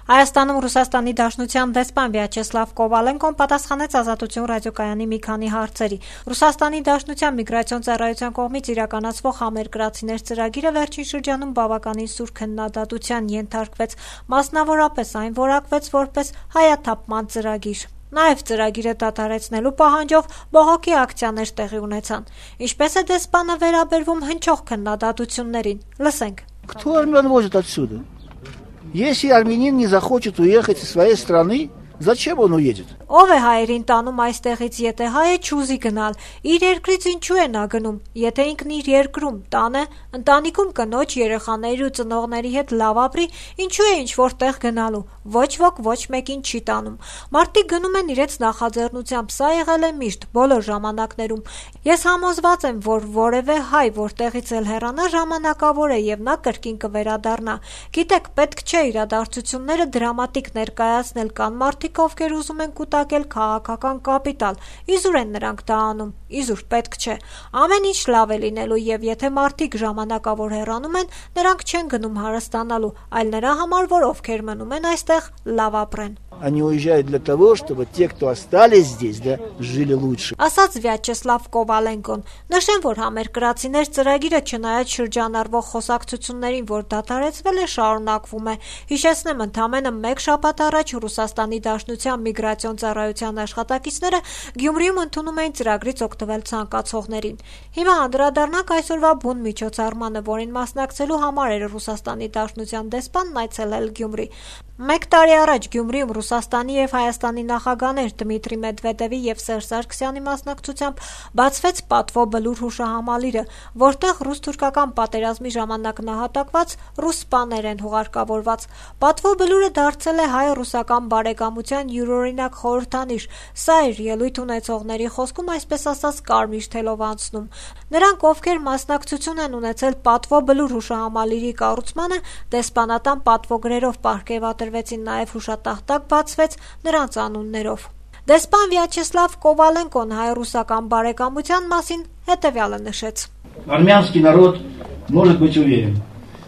Հայաստանում Ռուսաստանի Դաշնության դեսպան Վյաչեսլավ Կովալենկոն պատասխանեց Ազատություն ռադիոկայանի մի քանի հարցերի։ Ռուսաստանի Դաշնության միգրացիոն ծառայության կողմից իրականացվող համերկրացիներ ծրագիրը վերջին շրջանում բավականին սուր քննադատության ենթարկվեց, մասնավորապես այն որակվեց որպես հայաթափման ծրագիր։ Նաև ծրագիրը դադարեցնելու պահանջով բողոքի ակցիաներ տեղի ունեցան։ Ինչպես է դեսպանը վերաբերվում հնչող քննադատություններին։ Լսենք։ Кто армян возит отсюда? Если армянин не захочет уехать из своей страны, зачем он уедет? Ով է հայերին տանում այստեղից, եթե հայը չուզի գնալ, իր երկրից ինչու է նա գնում, եթե ինքն իր երկրում, տանը, ընտանիքում կնոջ, երեխաների ու ծնողների հետ լավ ապրի, ինչու է ինչ-որ տեղ գնալու, ոչ ոք ոչ մեկին չի տանում։ Մարդիկ գնում են իրենց նախաձեռնությամբ, սա եղել է միշտ, բոլոր ժամանակներում։ Ես համոզված եմ, որ որևէ հայ, որտեղից էլ հեռանա, ժամանակավոր է եւ նա կրկին կվերադառնա։ Գիտեք, պետք չէ իրադարձությունները դրամատիկ ներկայացնել, կան մարդիկ, ովքեր ուզում են կուտակել քաղաքական կապիտալ, իզուր են նրանք դա անում, իզուր պետք չէ, ամեն ինչ լավ է լինելու եւ եթե մարդիկ ժամանակավոր հեռանում են, նրանք չեն գնում հարստանալու, այլ նրա համար, որ ովքեր մնում են այստեղ, լավ ապրեն։ Они уезжают для того, чтобы те, кто остались здесь, да, жили лучше. Ասաց Վյաչեսլավ Կովալենկոն, նշեմ, որ համերկրացիներ ծրագիրը չնայած շրջանառվող խոսակցություններին, որ դադարեցվել է, շարունակվում է։ Հիշեցնեմ, ընդամենը մեկ շաբաթ առաջ Ռուսաստանի Դաշնության միգրացիոն ծառայության աշխատակիցները Գյումրիում ընդունում էին ծրագրից օգտվել ցանկացողներին։ Հիմա անդրադառնանք այսօրվա բուն միջոցառմանը, որին մասնակցելու համար էր Ռուսաստանի Դաշնության դեսպանն այցելել Գյումրի։ Մեկ տարի առաջ Գյումրիում Ռուսաստանի եւ Հայաստանի նախագահներ Դմիտրի Մեդվեդևի եւ Սերժ Սարգսյանի մասնակցությամբ բացվեց Պատվո բլուր հուշահամալիրը, որտեղ ռուս-թուրքական պատերազմի ժամանակ նահատակված ռուս սպաներ են հուղարկավորված։ Պատվո բլուրը դարձել է հայ-ռուսական բարեկամության յուրօրինակ խորհրդանիշ։ Սա էր ելույթ ունեցողների խոսքում, այսպես ասած, կարմիր թելով անցնում։ Նրանք, ովքեր մասնակցություն են ունեցել Պատվո բլուր հուշահամալիրի կառուցմանը, դեսպանատան պատվոգրերով պարգևատրվեցին, նաև հուշատախտակ բացվեց նրանց անուններով։ Դեսպան Վյաչեսլավ Կովալենկոն հայ-ռուսական բարեկամության մասին հետևյալը նշեց. Армянский народ может быть уверен.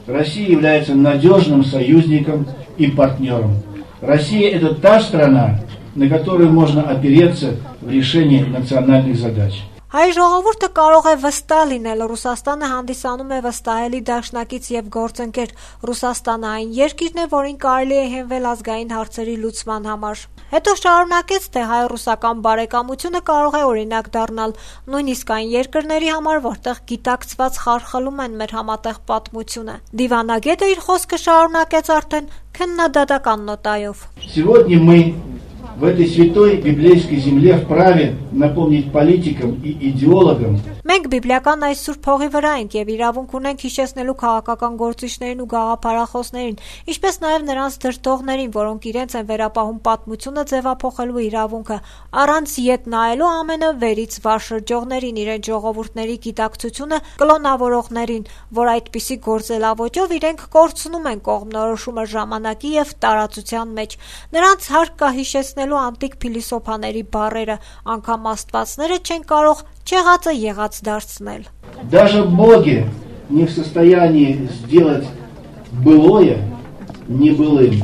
Россия является надежным союзником и партнером. Россия – это та страна, на которую можно опереться в решении национальных задач. Հայ ժողովուրդը կարող է վստահ լինել, Ռուսաստանը հանդիսանում է վստահելի դաշնակից եւ գործընկեր։ Ռուսաստանը այն երկիրն է, որին կարելի է հենվել ազգային հարցերի լուծման համար։ Հետո շարունակեց, թե հայ-ռուսական բարեկամությունը կարող է օրինակ դառնալ նույնիսկ այն երկրների համար, որտեղ գիտակցված խարխլում են մեր համատեղ պատմությունը։ Դիվանագետը իր խոսքը շարունակեց արդեն քննադատական նոտայով։ Сегодня мы в этой святой библейской земле вправе напомнить политикам и идеологам. Մենք բիբլիական այս սուրբ հողի վրա ենք եւ իրավունք ունենք հիշեցնելու քաղաքական գործիչներին ու գաղափարախոսներին, ինչպես նաեւ նրանց դրդողներին, որոնք իրենց են վերապահում պատմությունը ձևափոխելու իրավունքը, առանց ետ նայելու ամենը վերից վար շրջողներին, իրենց ժողովուրդների գիտակցությունը կլոնավորողներին, որ այդպիսի գործելավոճով իրենք կորցնում են կողմնորոշումը ժամանակի եւ տարածության մեջ։ Նրանց հարկ կա հիշեցնելու անտիկ փիլիսոփաների բառերը, անգամ աստվածները չեն կարող չեղածը եղած դարձնել։ Даже боги не в состоянии сделать былое небылым.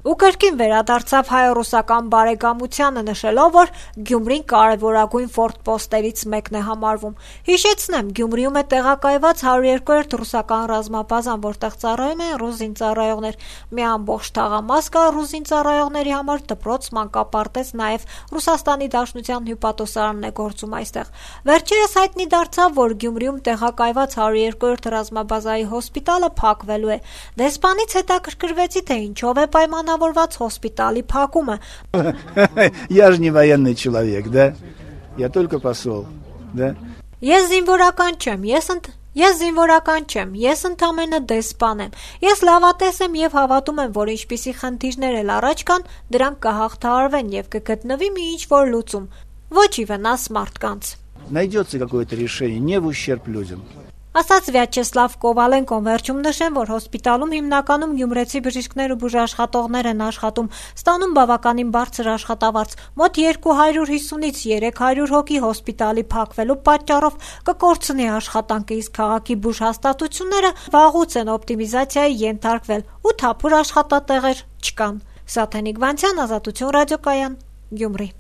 Ու կրկին վերադարձավ հայ-ռուսական բարեկամությանը, նշելով, որ Գյումրին կարևորագույն ֆորտպոստերից մեկն է համարվում։ Հիշեցնեմ, Գյումրիում է տեղակայված 102-րդ ռուսական ռազմաբազան, որտեղ ծառայում են ռուս զինծառայողներ։ Մի ամբողջ թաղամաս կա ռուս զինծառայողների համար, դպրոց, մանկապարտեզ, նաև Ռուսաստանի Դաշնության հյուպատոսարանն է գործում այստեղ։ Վերջերս հայտնի դարձավ, որ Գյումրիում տեղակայված 102-րդ ռազմաբազայի հոսպիտալը փակվելու է։ Դեսպանից հետաքրքրվեցի, թե ինչով է պայմանավորված հոսպիտալի փակումը։ Я же не военный человек, да? Я только посол, да? Ես զինվորական չեմ, ես ընդամենը դեսպան եմ։ Ես լավատես եմ եւ հավատում եմ, որ ինչպիսի խնդիրներ էլ առաջ կան, դրանք կհաղթահարվեն եւ կգտնվի մի ինչ-որ լուծում։ Ոչ ի վնաս մարդկանց։ Найдется какое-то решение, не в ущерб людям. Ասաց Վյաչեսլավ Կովալենկոն։ Վերջում նշեմ, որ հոսպիտալում հիմնականում գյումրեցի բժիշկներ ու բուժաշխատողներ են աշխատում, ստանում բավականին բարձր աշխատավարձ։ Մոտ 250-ից 300 հոգի հոսպիտալի փակվելու պատճառով կկորցնի աշխատանքը, իսկ քաղաքի բուժհաստատությունները վաղուց են օպտիմիզացիայի ենթարկվել ու թափուր աշխատատեղեր չկան։ Սաթենիկ Վանցյան, Ազատություն ռադիոկայան, Գյումրի։